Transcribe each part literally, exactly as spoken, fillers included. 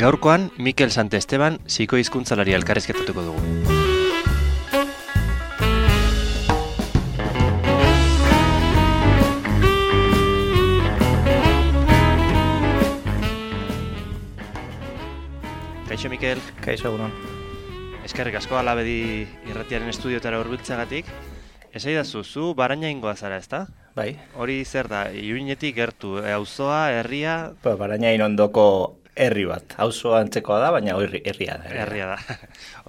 Gaurkoan, Mikel Santesteban psikohizkuntzalari elkarrizketatuko dugu. Kaixo, Mikel. Kaixo, egunon. Eskerrik asko Alabedi irratiaren estudiotara hurbiltzeagatik. Esaidazu, zu Barañaingoa zara, ezta? Bai. Hori zer da, Iruñetik gertu, auzoa, herria... Ba, Barañain ondoko herri bat. Auzoa antzekoa da, baina herri, herria da. Herria da.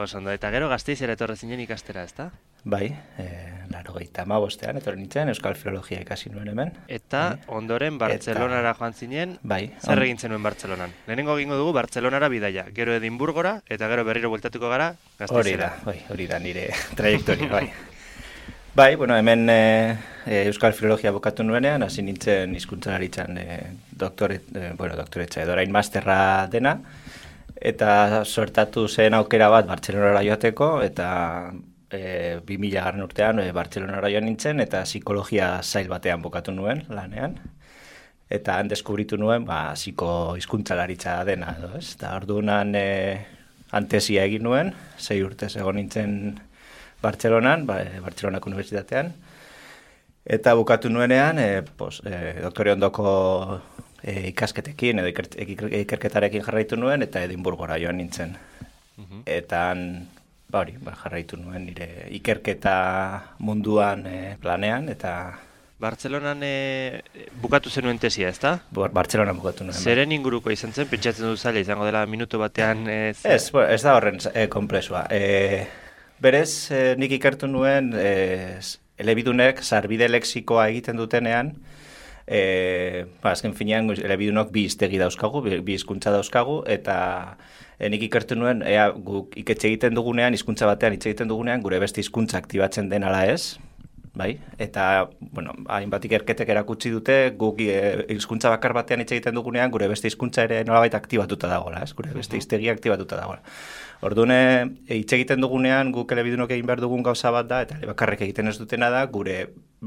Oso ondo, eta gero Gasteizera etorri zinen ikastera, ezta? Bai, e, laurogeita hamabostean etorri nintzen, Euskal Filologia ikasi nuen hemen. Eta bai. Ondoren Bartzelonara eta... joan zinen, bai, zer egin zenuen Bartzelonan? Lehenengo egingo dugu Bartzelonara bidaia, gero Edinburgora, eta gero berriro bueltatuko gara Gasteizera. Hori da, bai, hori da nire trajektoria, bai. Bai, bueno, hemen e, Euskal Filologia bukatu nuenean, hasi nintzen hizkuntzalaritzan e, doktore, e, bueno, doktoretza edo orain masterra dena, eta sortatu zen aukera bat Bartzelonara joateko, eta e, bi mila garren urtean e, Bartzelonara joan nintzen, eta psikologia zail batean bukatu nuen lanean, eta han deskubritu nuen, ba, psiko hizkuntzalaritza dena, edo ez? Eta orduan e, antesia egin nuen, sei urtez egon nintzen Bartzelonan, ba, Bartzelonako Unibertsitatean, eta bukatu nuenean, e, pos, e, doktore ondoko e, ikasketekin edo iker, ikerketarekin jarraitu nuen, eta Edinburgora joan nintzen. Uh-huh. Eta ba, hori, ba, jarraitu nuen nire ikerketa munduan e, planean, eta... Bartzelonan e, bukatu zenuen tesia, ezta? Bartzelonan bukatu nuen. Zeren inguruko izan zen, pentsatzen du zaila izango dela minutu batean... E, ez, bo, ez da horren e, komplexua. E, Berez, eh, nik ikertu nuen, eh, elebidunek sarbide lexikoa egiten dutenean, eh, ba, azken finean, elebidunok bi hiztegi dauzkagu, bi, bi hizkuntza dauzkagu, eta eh, nik ikertu nuen, ea, guk iketxe egiten dugunean, hizkuntza batean hitz egiten dugunean, gure beste hizkuntza aktibatzen den ala ez, bai? Eta, bueno, hainbat ikerketek erakutsi dute, guk hizkuntza bakar batean hitz egiten dugunean, gure beste hizkuntza ere nolabait aktibatuta dagoela, ez? Gure beste hiztegi aktibatuta dagoela. Orduan, hitz egiten dugunean, guk elebidunok egin behar dugun gauza bat da, eta bakarrek egiten ez dutena da, gure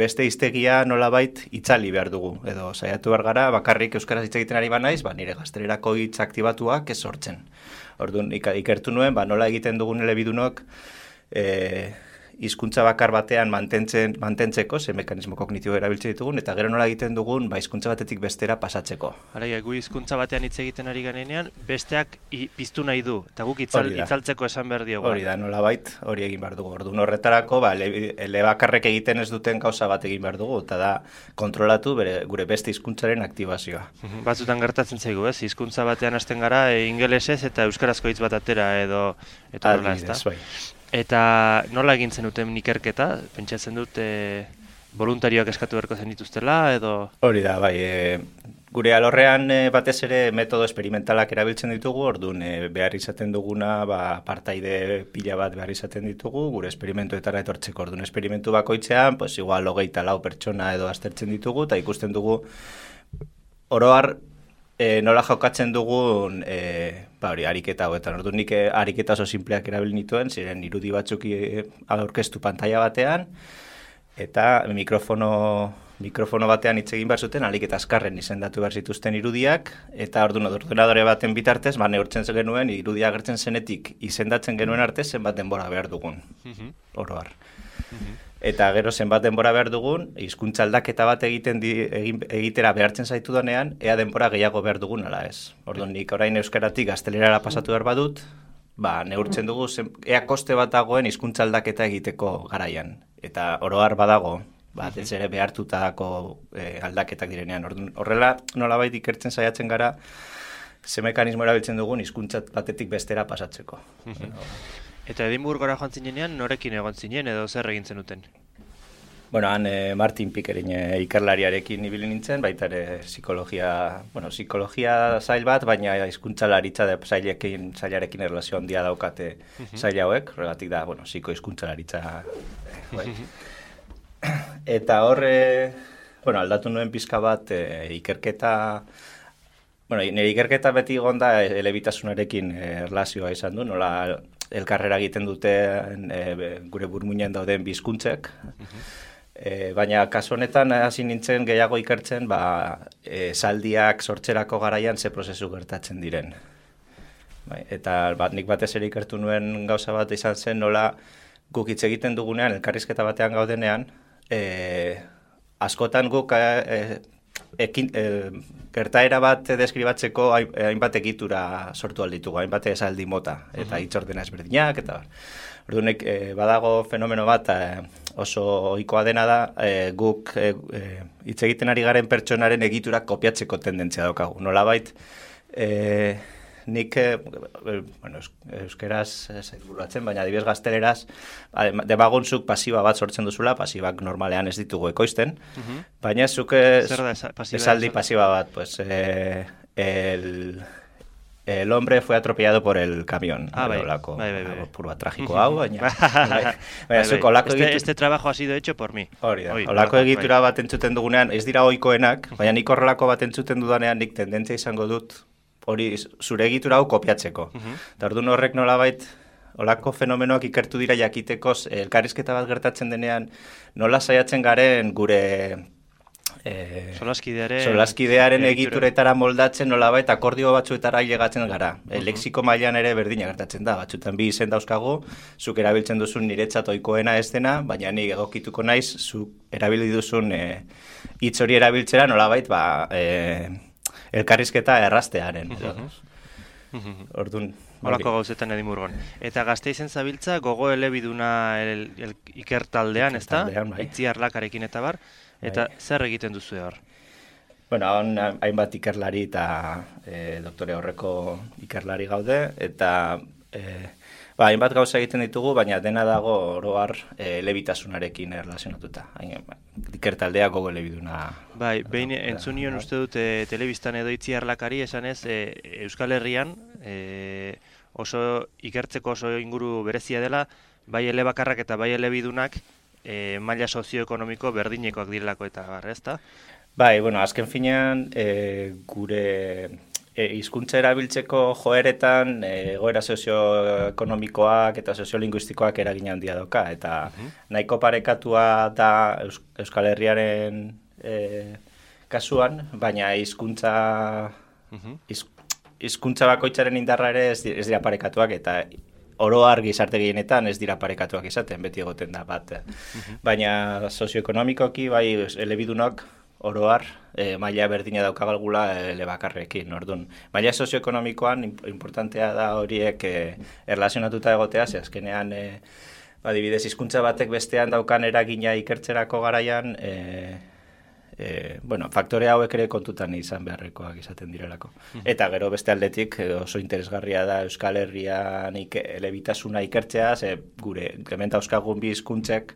beste hiztegia nolabait itzali behar dugu. Edo, saiatu behar gara, bakarrik euskaraz hitz egiten ari banaiz, ba, nire gaztelerako hitz aktibatuak ez sortzen. Orduan, ikertu nuen, ba, nola egiten dugun elebidunok, e, hizkuntza bakar batean mantentzen, mantentzeko, ze mekanismo kognitibo erabiltzen ditugun, eta gero nola egiten dugun, ba, hizkuntza batetik bestera pasatzeko. Hala, gu hizkuntza batean hitz egiten ari garenean, besteak i, piztu nahi du, eta guk itzal, itzaltzeko esan behar diogu. Hori da, nolabait, hori egin behar dugu. Orduan horretarako, ba, elebakarrek egiten ez duten gauza bat egin behar dugu, eta da, kontrolatu bere, gure beste hizkuntzaren aktibazioa. Batzutan gertatzen zaigu, ez? Hizkuntza batean hasten gara, e, ingelesez eta euskarazko hitz bat atera, edo, eta nola, ez da? Bai. Eta nola egin zenuten ikerketa? Pentsatzen dut e, voluntarioak eskatu beharko zen dituztela, edo... Hori da, bai. E, gure alorrean e, batez ere metodo experimentalak erabiltzen ditugu, orduan e, behar izaten duguna, ba, partaide pila bat behar izaten ditugu, gure esperimentuetara etortzeko. Orduan esperimentu bakoitzean, pues, igual hogeita lau pertsona edo aztertzen ditugu, eta ikusten dugu oroar, E, nola jokatzen dugun e, ba hori, ariketa hauetan. Orduan nik ariketa oso simpleak erabili nituen, ziren irudi batzuk aurkeztu pantaila batean, eta mikrofono, mikrofono batean hitz egin behar zuten, alik eta azkarren izendatu behar zituzten irudiak, eta orduan ordenadore baten bitartez, ba neurtzen genuen, irudia agertzen zenetik izendatzen genuen arte zenbat denbora behar dugun, oroar. Eta gero zenbat denbora behar dugun, hizkuntza aldaketa bat egiten di, egin, egitera behartzen zaitu donean, ea denbora gehiago behar dugun ala ez. Orduan nik orain euskaratik gaztelerara pasatu behar badut, ba, neurtzen dugu zen, ea koste bat dagoen hizkuntza aldaketa egiteko garaian. Eta oroar badago, ba, ez ere behartutako e, aldaketak direnean. Orduan, horrela nolabait ikertzen saiatzen gara, ze mekanismo erabiltzen dugun hizkuntza batetik bestera pasatzeko. Eta Edinburgora joan zinenean, norekin egon zinen edo zer egin zenuten? Bueno, han eh, Martin Pickerin eh, ikerlariarekin ibili nintzen, baita ere psikologia, bueno, psikologia zail bat, baina hizkuntzalaritza da zailekin, zailarekin erlazio handia daukate zail hauek, horregatik da, bueno, psiko hizkuntzalaritza. Eh, Eta hor, eh, bueno, aldatu nuen pizka bat eh, ikerketa, bueno, nire ikerketa beti gonda elebitasunarekin eh, erlazioa izan du, nola elkarrera egiten dute e, gure burmuinean dauden bi hizkuntzek. Uh-huh. E, baina kasu honetan hasi nintzen gehiago ikertzen, ba, e, zaldiak sortzerako garaian ze prozesu gertatzen diren. Bai, eta bat, nik batez ere ikertu nuen gauza bat izan zen, nola guk hitz egiten dugunean, elkarrizketa batean gaudenean, e, askotan guk e, ekin, e, gertaera bat deskribatzeko hainbat egitura sortu alditugu, hainbat esaldi mota, eta hitz ordena ezberdinak, eta orduan, e, badago fenomeno bat e, oso ohikoa dena da, e, guk e, e, hitz egiten ari garen pertsonaren egiturak kopiatzeko tendentzia daukagu. Nolabait, e, nik, e, bueno, euskeraz zaitburuatzen, baina adibidez gazteleraz, demagunzuk pasiba bat sortzen duzula, pasibak normalean ez ditugu ekoizten, uh-huh. baina zuk esaldi pasiba bat, pues, e, el... El hombre fue atropellado por el camión. Ah, bai, olako, bai, bai, bai. Purua tragiko hau, baina... bai, bai. Este, egitu... este trabajo ha sido hecho por mí. Hori da, olako egitura bai. bat entzuten dugunean, ez dira ohikoenak, baina nik horrelako bat entzuten dudanean, nik tendentzia izango dut, hori zure egitura hau kopiatzeko. Uh-huh. Tardun horrek nolabait, olako fenomenoak ikertu dira jakiteko, elkarrizketa bat gertatzen denean, nola saiatzen garen gure... Eh, solaskidearen, solaskidearen egituretara moldatzen nolabait akordio batzuetara ailegatzen gara. Uh-huh. E, lexiko mailan ere berdina gertatzen da. Batzutan bi izen dauzkagu, zuk erabiltzen duzun niretzat ohikoena ez dena, baina ni egokituko naiz, zuk erabili duzun hitz e, hori erabiltzera nolabait ba, e, elkarrizketa erraztearen. Uh-huh. Uh-huh. Orduan... Olako gauzetan edimurgon. Eta Gasteizen zabiltza gogo elebiduna el, el, ikertaldean, ez da? Bai. Itziarlakarekin eta bar. Eta bai. Zer egiten duzu hor? Bueno, hon hainbat ikerlari eta e, doktore horreko ikerlari gaude, eta e, ba, hainbat gauza egiten ditugu, baina dena dago oroar e, elebitasunarekin erlazionatuta. Ikertaldea gogo elebiduna. Bai, behin entzunion uste dut e, telebistan edo itziarlakari esanez, e, Euskal Herrian e, oso ikertzeko oso inguru berezia dela, bai elebakarrak eta bai elebidunak, E, maila sozioekonomiko berdinekoak direlako eta barra, ezta? Bai, bueno, azken finean e, gure e, hizkuntza erabiltzeko joeretan e, egoera sozioekonomikoak eta soziolinguistikoak eragin handia doka, eta uh-huh. nahiko parekatua da Eus, Euskal Herriaren e, kasuan, baina hizkuntza uh-huh. hizkuntza bakoitzaren indarra ere ez, ez dira parekatuak, eta oroar gizarte gehienetan ez dira parekatuak izaten, beti egoten da bat. Uh-huh. Baina sozioekonomikoki, bai, elebidunok oroar e, maila berdina daukagalgula elebakarrekin, orduan. Maila sozioekonomikoan importantea da horiek e, erlazionatuta egotea, ze azkenean, e, adibidez, hizkuntza batek bestean daukan eragina ikertzerako garaian, e, E, bueno, faktore hauek ere kontutan izan beharrekoak izaten direlako. Uh-huh. Eta gero beste aldetik oso interesgarria da Euskal Herrian ike, elebitasuna ikertzea, ze gure implementa euskagun bi hizkuntzek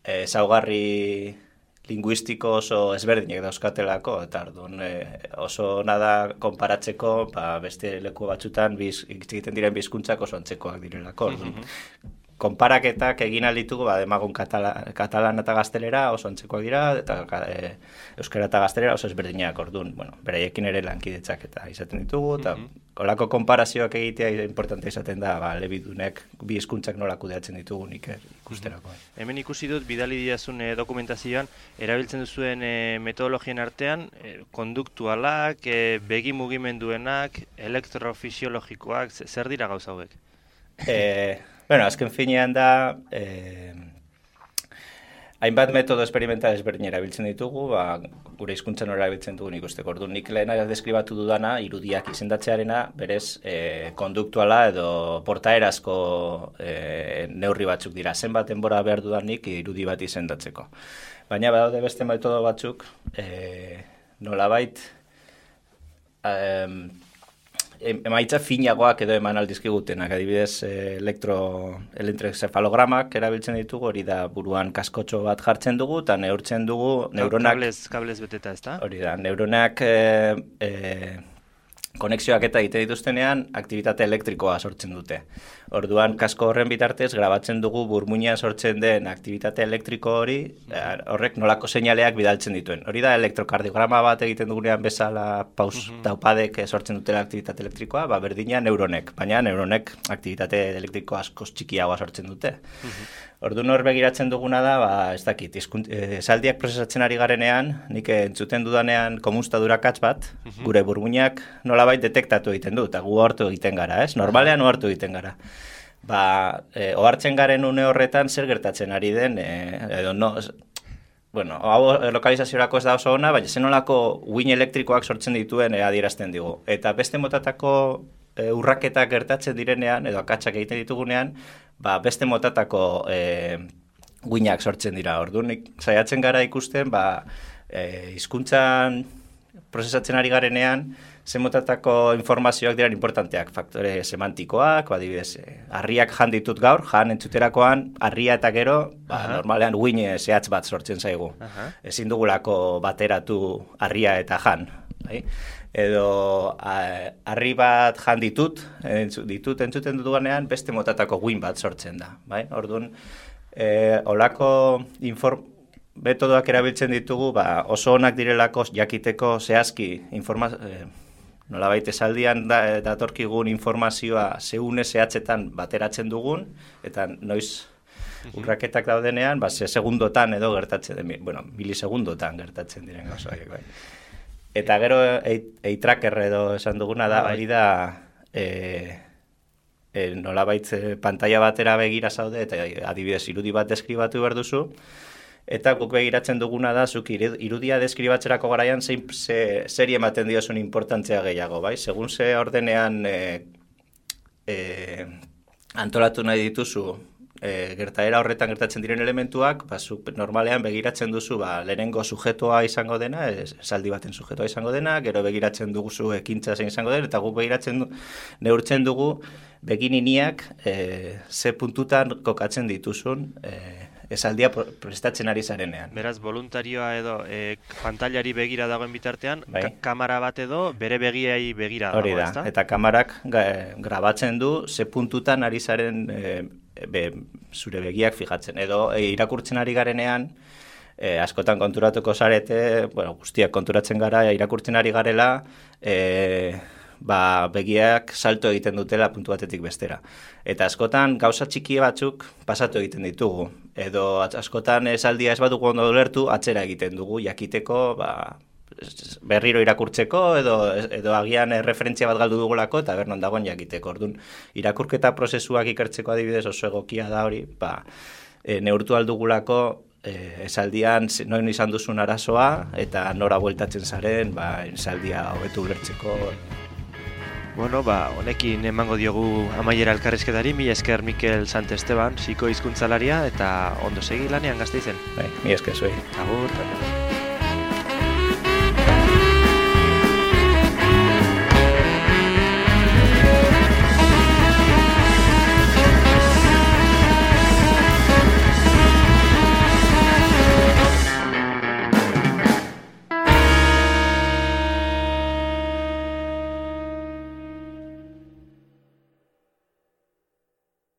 ezaugarri linguistiko oso ezberdinek dauzkatelako, eta orduan e, oso nada konparatzeko ba, beste leku batzutan biz, egiten diren bi hizkuntzak oso antzekoak direlako. Uh-huh. Konparaketak egin alditugu, ba, demagun katala, katalan eta gaztelera oso antzekoak dira, eta e, euskara eta gaztelera oso ezberdinak, orduan, bueno, beraiekin ere lankidetzak eta izaten ditugu, eta mm-hmm. kolako konparazioak egitea importante izaten da, ba, elebidunek bi hizkuntzak nola kudeatzen ditugu nik ikusterako. Mm-hmm. Hemen ikusi dut, bidali diazun e, dokumentazioan, erabiltzen duzuen e, metodologien artean, e, konduktualak, e, begi mugimenduenak, elektrofisiologikoak, zer dira gauza hauek? Eh... Bueno, azken finean da, eh, hainbat metodo experimental ezberdin erabiltzen ditugu, ba, gure hizkuntzan erabiltzen dugu nik usteko. Orduan, nik lehena deskribatu dudana, irudiak izendatzearena, berez, eh, konduktuala edo portaerazko eh, neurri batzuk dira. Zenbat denbora behar dudanik irudi bat izendatzeko. Baina badaude beste metodo batzuk, eh, nolabait, eh, emaitza finagoak edo eman aldizkigutenak, adibidez elektro, elektroencefalogramak erabiltzen ditugu, hori da buruan kaskotxo bat jartzen dugu, eta neurtzen dugu neuronak... Kablez, kablez beteta, ez da? Hori da, neuronak e, e, konexioak eta egite dituztenean, aktibitate elektrikoa sortzen dute. Orduan, kasko horren bitartez, grabatzen dugu burmuina sortzen den aktivitate elektriko hori, horrek nolako seinaleak bidaltzen dituen. Hori da elektrokardiograma bat egiten dugunean bezala paus uh-huh. taupadek sortzen dutela aktivitate elektrikoa, ba, berdina neuronek, baina neuronek aktivitate elektriko askoz txikiagoa sortzen dute. Uh-huh. Orduan hor begiratzen duguna da, ba, ez dakit, esaldiak prozesatzen ari garenean, nik entzuten dudanean komunstadurakatz bat, uh-huh. gure burmuinak nolabait detektatu egiten du, eta gu ohartu egiten gara, ez? Normalean ohartu egiten gara. Ba, e, ohartzen garen une horretan zer gertatzen ari den, e, edo no, bueno, hau lokalizaziorako ez da oso ona, baina zenolako uin elektrikoak sortzen dituen e, adierazten digu. Eta beste motatako e, urraketak gertatzen direnean, edo akatsak egiten ditugunean, ba, beste motatako e, uinak sortzen dira. Orduan, saiatzen gara ikusten, ba, e, hizkuntzan prozesatzen ari garenean, ze motatako informazioak diran importanteak, faktore semantikoak, adibidez, harriak jan ditut gaur, jan entzuterakoan, harria eta gero, ba, normalean uin zehatz bat sortzen zaigu. Aha. Ezin dugulako bateratu harria eta jan. Bai? Edo harri bat jan ditut, entzu, ditut entzuten dudanean, beste motatako uin bat sortzen da. Bai? Orduan, e, olako inform... metodoak erabiltzen ditugu, ba, oso onak direlako jakiteko zehazki informazio, eh, nolabait esaldian da, datorkigun informazioa zeune zehatzetan bateratzen dugun, eta noiz urraketak daudenean, ba, ze segundotan edo gertatzen, bueno, milisegundotan gertatzen diren gauzoiek, bai. Eta gero eitracker edo esan duguna da, hori da, e, e, nolabait e, pantalla batera begira zaude, eta adibidez irudi bat deskribatu behar duzu, eta guk begiratzen duguna da, zuk irudia deskribatzerako garaian zein ze, zeri ematen diozun importantzia gehiago, bai? Segun ze ordenean e, e, antolatu nahi dituzu e, gertaera horretan gertatzen diren elementuak, ba, zuk normalean begiratzen duzu ba, lehenengo sujetoa izango dena, esaldi baten sujetoa izango dena, gero begiratzen dugu ekintza zein izango dena, eta guk begiratzen du, neurtzen dugu begininiak e, ze puntutan kokatzen dituzun e, esaldia prestatzen ari zarenean. Beraz, voluntarioa edo e, pantailari begira dagoen bitartean, bai. ka kamera bat edo bere begiai begira dago, da, ezta? Eta kamarak ga, grabatzen du ze puntutan ari zaren e, be, zure begiak fijatzen. Edo e, irakurtzen ari garenean, e, askotan konturatuko zarete, bueno, guztiak konturatzen gara, irakurtzen ari garela, e, ba, begiak salto egiten dutela puntu batetik bestera. Eta askotan gauza txiki batzuk pasatu egiten ditugu. Edo askotan esaldia ez badugu ondo ulertu, atzera egiten dugu, jakiteko, ba, berriro irakurtzeko, edo, edo agian referentzia bat galdu dugulako, eta bernon dagoen jakiteko. Orduan, irakurketa prozesuak ikertzeko adibidez oso egokia da hori, ba, e, neurtu aldugulako, e, esaldian noin izan duzun arazoa, eta nora bueltatzen zaren, ba, esaldia hobetu ulertzeko. Bueno, ba, honekin emango diogu amaiera elkarrizketari, mila esker Mikel Santesteban, psiko hizkuntzalaria, eta ondo segi lanean Gasteizen. Bai, mila esker zuei. Agur.